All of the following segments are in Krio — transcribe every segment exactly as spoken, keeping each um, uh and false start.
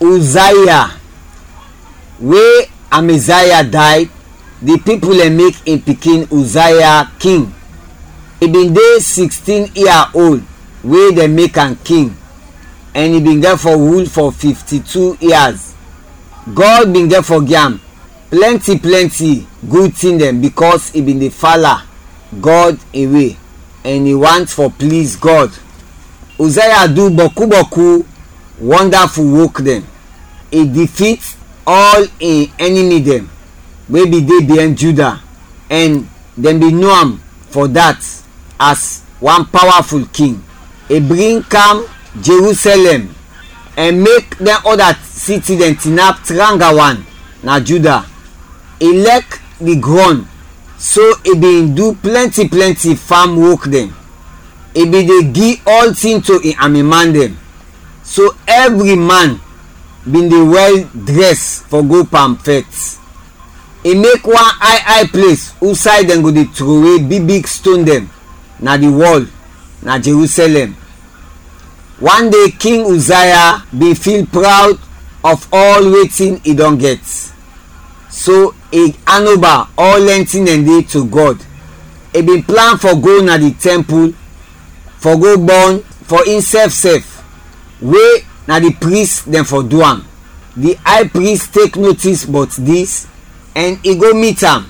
Uzziah. We Amaziah day, di pipul dɛn mek in pikin Uzziah king. I bin de sixteen year old we dɛn mek am king, ɛn i bin gɛt fɔ rul fɔ fifti-tu years. Gɔd bin gɛt fɔ gi am plɛnti plɛnti gud tin dɛn, bikɔs i bin de fala Gɔd in we, ɛn i want fɔ pliz Gɔd. Uzziah du bɔku bɔku wɔndaful wok dɛn. I difit ɔl in ɛnimi dɛn we bin de biɛn Juda, ɛn dɛn bin no am fɔ dat as wan pawaful king. I bring kam Jerusalɛm ɛn mek dɛn ɔda siti dɛn tinap tranga wan na Juda. I lɛk di grɔn, so i bin du plɛnti plɛnti fam wok dɛn. I bin de gi ɔltin to in amiman dɛn, so ɛvri man bin de wɛl drɛs fɔ go pan fɛt. I mek wan ay ay ples usay dɛn go de trowe big big ston dɛn na di wɔl na Jerusalɛm. Wan de King Uzziah bin fil prawd of ɔl wetin i dɔn gɛt, so i anoba ɔl lɛntin dɛn de to Gɔd. I bin plan fɔ go na di tɛmpul fɔ go bɔn fɔ insɛf sɛf, we na di pris dɛn fɔ du am. Di ay pris tek notis bɔt dis ɛn i go mit am.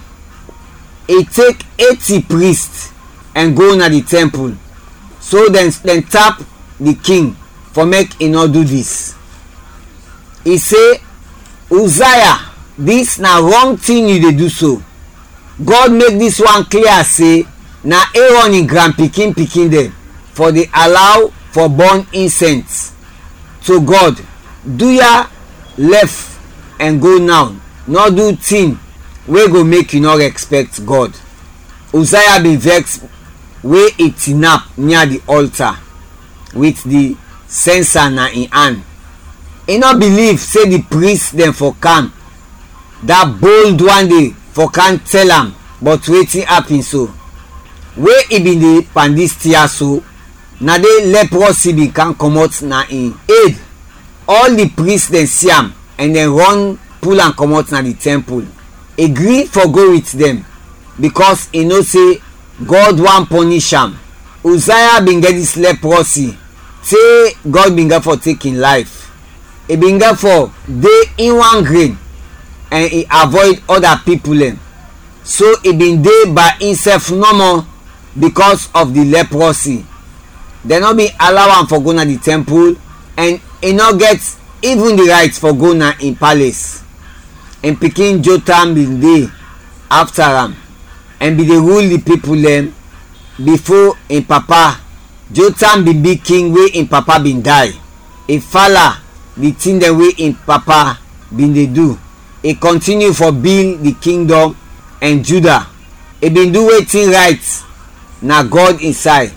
I tek eti pris ɛn go na di tɛmpul, so dɛn dɛn tap di king fɔ mek i nɔ du dis. I se, Uzziah, dis na rɔng tin yu de du so. Gɔd mek dis wan klia se na Erɔn in granpikin pikin dɛn fɔ de alaw fɔ bɔn insɛns to Gɔd. Du ya lɛf ɛn go naw, nɔ du tin we go mek yu nɔ rɛspɛkt Gɔd. Uzziah bin vɛks we i tinap nia di ɔlta wit di sɛnsa na in an. I nɔ biliv se di pris dɛn fɔ kam da bold wan de fɔ kam tɛl am bɔt wetin apin so. We i bin de pan dis tin ya so, na de lɛprɔsi bin kam kɔmɔt na in ed. Ɔl di pris dɛn si am ɛn dɛn rɔn pul am kɔmɔt na di tɛmpul. I gri fɔ go wit dɛn, bikɔs i no se Gɔd want pɔnish am. Uzziah bin gɛt dis lɛprɔsi te Gɔd bin gɛt fɔ tek in layf. I bin gɛt fɔ de in wan gren ɛn i avoid ɔda pipul dɛn, so i bin de bay insɛf nɔmɔ bikɔs of di lɛprɔsi. Dɛn nɔ bin alaw am fɔ go na di tɛmpul, ɛn i nɔ gɛt ivin di rayt fɔ go na in pales. In pikin Jotam bin de afta am ɛn bin de rul di pipul dɛn bifo in papa. Jotam bin bi king we in papa bin day. I fala di tin dɛn we in papa bin de du. I kɔntiniu fɔ bil di kingdɔm ɛn Juda. I bin du wetin rayt na Gɔd in say,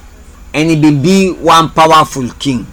ɛn i bin bi wan pawaful king.